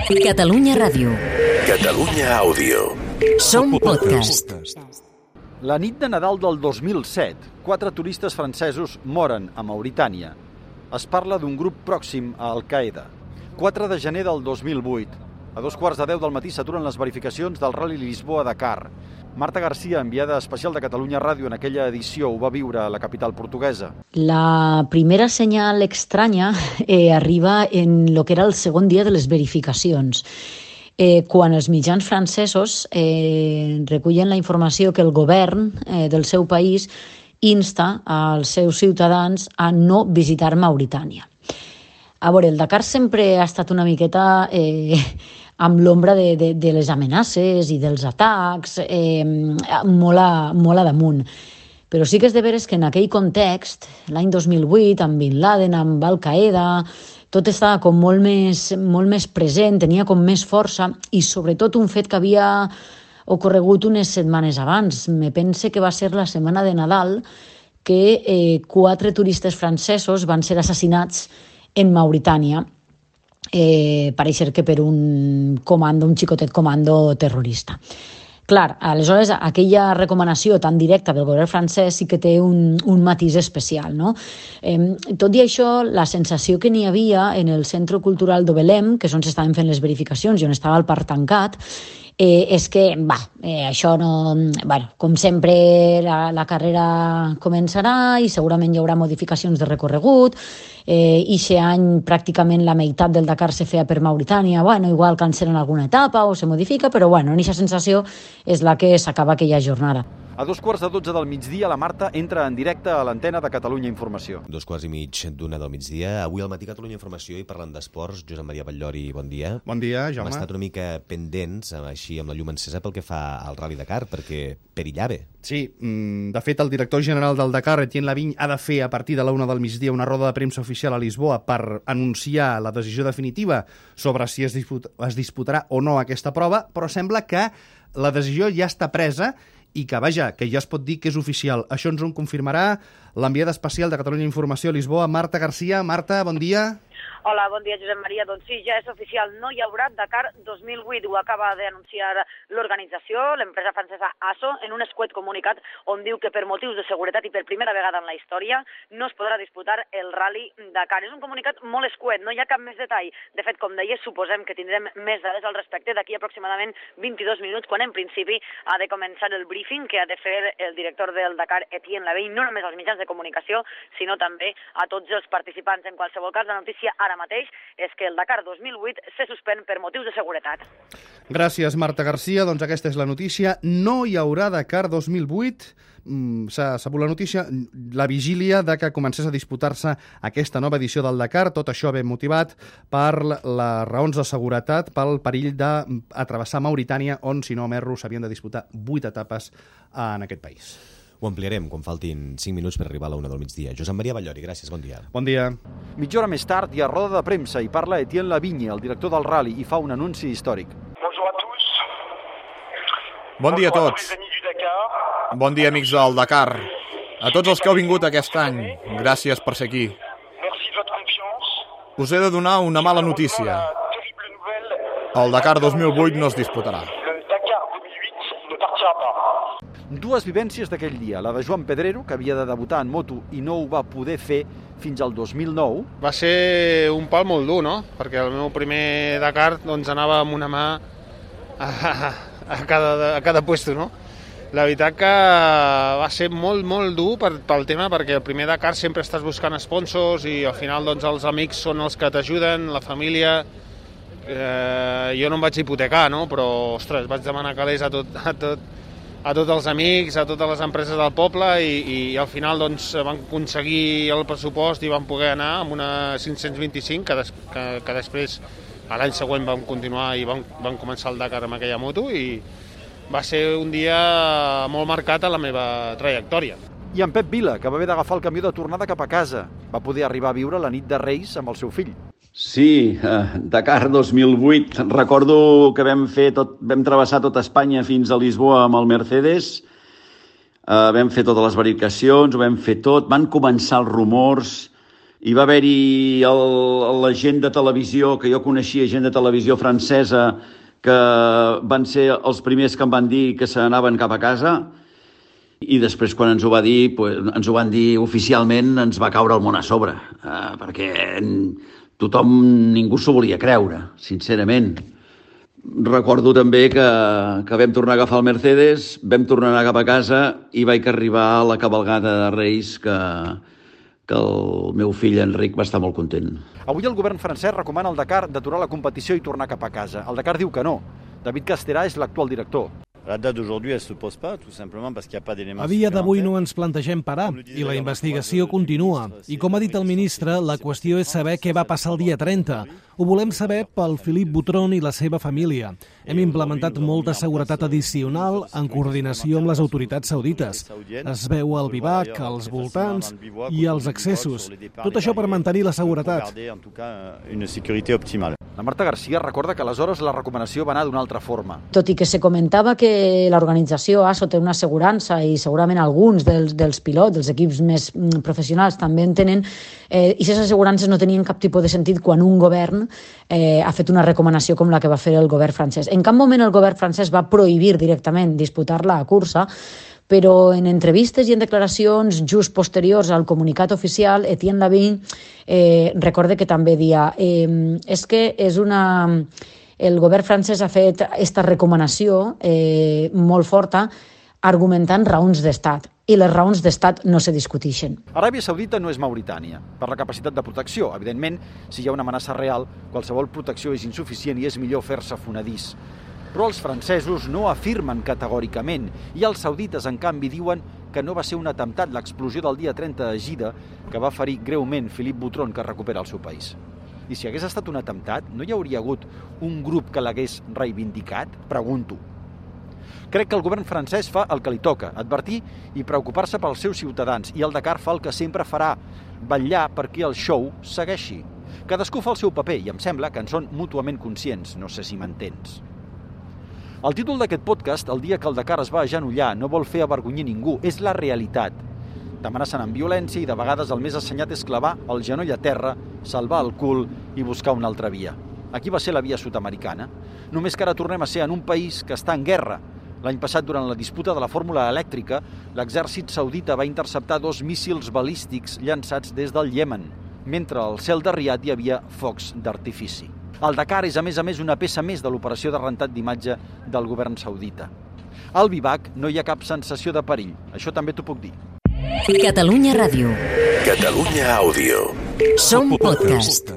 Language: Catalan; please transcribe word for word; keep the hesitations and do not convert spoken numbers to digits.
Catalunya Ràdio. Catalunya Àudio. Som podcast. La nit de Nadal del dos mil set, quatre turistes francesos moren a Mauritània. Es parla d'un grup pròxim a Al-Qaeda. quatre de gener del dos mil vuit. A dos quarts de deu del matí s'aturen les verificacions del Rally Lisboa-Dakar. Marta García, enviada especial de Catalunya Ràdio en aquella edició, ho va viure a la capital portuguesa. La primera senyal estranya eh, arriba en lo que era el segon dia de les verificacions. Eh, quan els mitjans francesos eh, recullen la informació que el govern eh, del seu país insta als seus ciutadans a no visitar Mauritània. A veure, el Dakar sempre ha estat una miqueta eh, amb l'ombra de, de, de les amenaces i dels atacs, eh, molt, a, molt a damunt. Però sí que és de veres que en aquell context, l'any dos mil vuit, amb Bin Laden, amb Al-Qaeda, tot estava com molt més, molt més present, tenia com més força, i sobretot un fet que havia ocorregut unes setmanes abans. Me pense que va ser la setmana de Nadal que eh, quatre turistes francesos van ser assassinats en Mauritània, eh, pareix que per un comando, un xicotet comando terrorista. Clar, aleshores, aquella recomanació tan directa del govern francès sí que té un, un matís especial, no? Eh, tot i això, la sensació que n'hi havia en el Centre Cultural d'Obelem, que és on s'estaven fent les verificacions i on estava el parc tancat, eh, és que, va, eh, això no... Bueno, com sempre, la, la carrera començarà i segurament hi haurà modificacions de recorregut. Eh, i aquest any pràcticament la meitat del Dakar se feia per Mauritània. Bueno, igual cancel·len alguna etapa o se modifica, però bueno, aquesta sensació és la que s'acaba aquella jornada. A dos quarts de dotze del migdia, la Marta entra en directe a l'antena de Catalunya Informació. Dos quarts i mig d'una del migdia. Avui al matí Catalunya Informació i parlant d'esports. Josep Maria Batllori, bon dia. Bon dia, Jaume. Hem estat una mica pendents, així amb la llum encesa, pel que fa al Rally Dakar, perquè perillava. Sí, de fet, el director general del Dakar, Etienne Lavigne, ha de fer a partir de la una del migdia una roda de premsa oficial a Lisboa per anunciar la decisió definitiva sobre si es, disput es disputarà o no aquesta prova, però sembla que la decisió ja està presa i que, vaja, que ja es pot dir que és oficial. Això ens ho confirmarà l'enviada especial de Catalunya Informació a Lisboa, Marta García. Marta, bon dia. Hola, bon dia, Josep Maria. Doncs sí, ja és oficial, no hi haurà Dakar dos mil vuit. Ho acaba d'anunciar l'organització, l'empresa francesa A S O, en un escuet comunicat on diu que per motius de seguretat i per primera vegada en la història no es podrà disputar el Rally Dakar. És un comunicat molt escuet, no hi ha cap més detall. De fet, com deia, suposem que tindrem més dades al respecte d'aquí aproximadament vint-i-dos minuts, quan en principi ha de començar el briefing que ha de fer el director del Dakar, Etienne Lavigne, no només als mitjans de comunicació, sinó també a tots els participants. En qualsevol cas, la notícia ara mateix és que el Dakar dos mil vuit se suspèn per motius de seguretat. Gràcies, Marta García. Doncs aquesta és la notícia. No hi haurà Dakar dos mil vuit. Mm, s'ha sabut la notícia, la vigília de que comencés a disputar-se aquesta nova edició del Dakar. Tot això ben motivat per les raons de seguretat, pel perill d'atrevessar Mauritània, on, si no m'erro, s'havien de disputar vuit etapes en aquest país. Ho ampliarem quan faltin cinc minuts per arribar a la una del migdia. Josep Maria Batllori, gràcies, bon dia. Bon dia. Mitja hora més tard hi ha roda de premsa i parla Etienne Lavigne, el director del Rally, i fa un anunci històric. Bon dia a tots. Bon dia, amics del Dakar. A tots els que heu vingut aquest any, gràcies per ser aquí. Us he de donar una mala notícia. El Dakar dos mil vuit no es disputarà. Dues vivències d'aquell dia, la de Joan Pedrero, que havia de debutar en moto i no ho va poder fer fins al dos mil nou. Va ser un pal molt dur, no? Perquè el meu primer Dakar doncs, anava amb una mà a, a, cada, a cada puesto, no? La veritat que va ser molt, molt dur per, pel tema, perquè el primer Dakar sempre estàs buscant sponsors i al final doncs, els amics són els que t'ajuden, la família. Eh, jo no em vaig hipotecar, no? Però, ostres, vaig demanar calés a tot, a tot, a tots els amics, a totes les empreses del poble i, i al final doncs, van aconseguir el pressupost i van poder anar amb una cinc-cents vint-i-cinc que, des, que, que després l'any següent vam continuar i vam, vam començar el Dakar amb aquella moto i va ser un dia molt marcat a la meva trajectòria. I en Pep Vila, que va haver d'agafar el camió de tornada cap a casa, va poder arribar a viure la nit de Reis amb el seu fill. Sí, eh, Dakar dos mil vuit. Recordo que vam fer tot, vam travessar tota Espanya fins a Lisboa amb el Mercedes. Eh, vam fer totes les verificacions, ho vam fer tot. Van començar els rumors Hi va haver-hi el- la gent de televisió, que jo coneixia, gent de televisió francesa, que van ser els primers que em van dir que se n'anaven cap a casa, i després quan ens ho va dir, pues, ens ho van dir oficialment, ens va caure el món a sobre, eh, perquè tothom, ningú s'ho volia creure, sincerament. Recordo també que, que vam tornar a agafar el Mercedes, vam tornar a anar cap a casa i vaig arribar a la cabalgada de Reis, que, que el meu fill Enric va estar molt content. Avui el govern francès recomana al Dakar d'aturar la competició i tornar cap a casa. El Dakar diu que no. David Casterà és l'actual director. La date d'aujourd'hui, elle se pose pas, tout simplement parce qu'il n'y a pas d'éléments. A dia d'avui no ens plantegem parar i la investigació continua. I com ha dit el ministre, la qüestió és saber què va passar el dia trenta. Ho volem saber pel Philippe Boutron i la seva família. Hem implementat molta seguretat addicional en coordinació amb les autoritats saudites. Es veu el bivac, els voltants i els accessos. Tot això per mantenir la seguretat. La Marta García recorda que aleshores la recomanació va anar d'una altra forma. Tot i que se comentava que l'organització A S O té una assegurança i segurament alguns dels, dels pilots, dels equips més professionals també en tenen, eh, i aquestes assegurances no tenien cap tipus de sentit quan un govern eh, ha fet una recomanació com la que va fer el govern francès. En cap moment el govern francès va prohibir directament disputar la cursa, però en entrevistes i en declaracions just posteriors al comunicat oficial, Etienne Lavigne eh, recorde que també dia eh, és que és una... El govern francès ha fet aquesta recomanació eh, molt forta argumentant raons d'estat, i les raons d'estat no se discuteixen. Aràbia Saudita no és Mauritània, per la capacitat de protecció. Evidentment, si hi ha una amenaça real, qualsevol protecció és insuficient i és millor fer-se fonedís. Però els francesos no afirmen categòricament, i els saudites, en canvi, diuen que no va ser un atemptat l'explosió del dia trenta de Gida que va ferir greument Philippe Boutron, que recupera el seu país. I si hagués estat un atemptat, no hi hauria hagut un grup que l'hagués reivindicat? Pregunto. Crec que el govern francès fa el que li toca, advertir i preocupar-se pels seus ciutadans, i el Dakar fa el que sempre farà, vetllar perquè el show segueixi. Cadascú fa el seu paper i em sembla que en són mútuament conscients, no sé si m'entens. El títol d'aquest podcast, el dia que el Dakar es va agenollar, no vol fer avergonyir ningú, és la realitat. T'amenacen amb violència i de vegades el més assenyat és clavar el genoll a terra, salvar el cul i buscar una altra via. Aquí va ser la via sud-americana. Només que ara tornem a ser en un país que està en guerra. L'any passat, durant la disputa de la fórmula elèctrica, l'exèrcit saudita va interceptar dos míssils balístics llançats des del Iemen, mentre al cel de Riad hi havia focs d'artifici. El Dakar és, a més a més, una peça més de l'operació de rentat d'imatge del govern saudita. Al bivac no hi ha cap sensació de perill, això també t'ho puc dir. Catalunya Ràdio. Catalunya Àudio. Som podcast.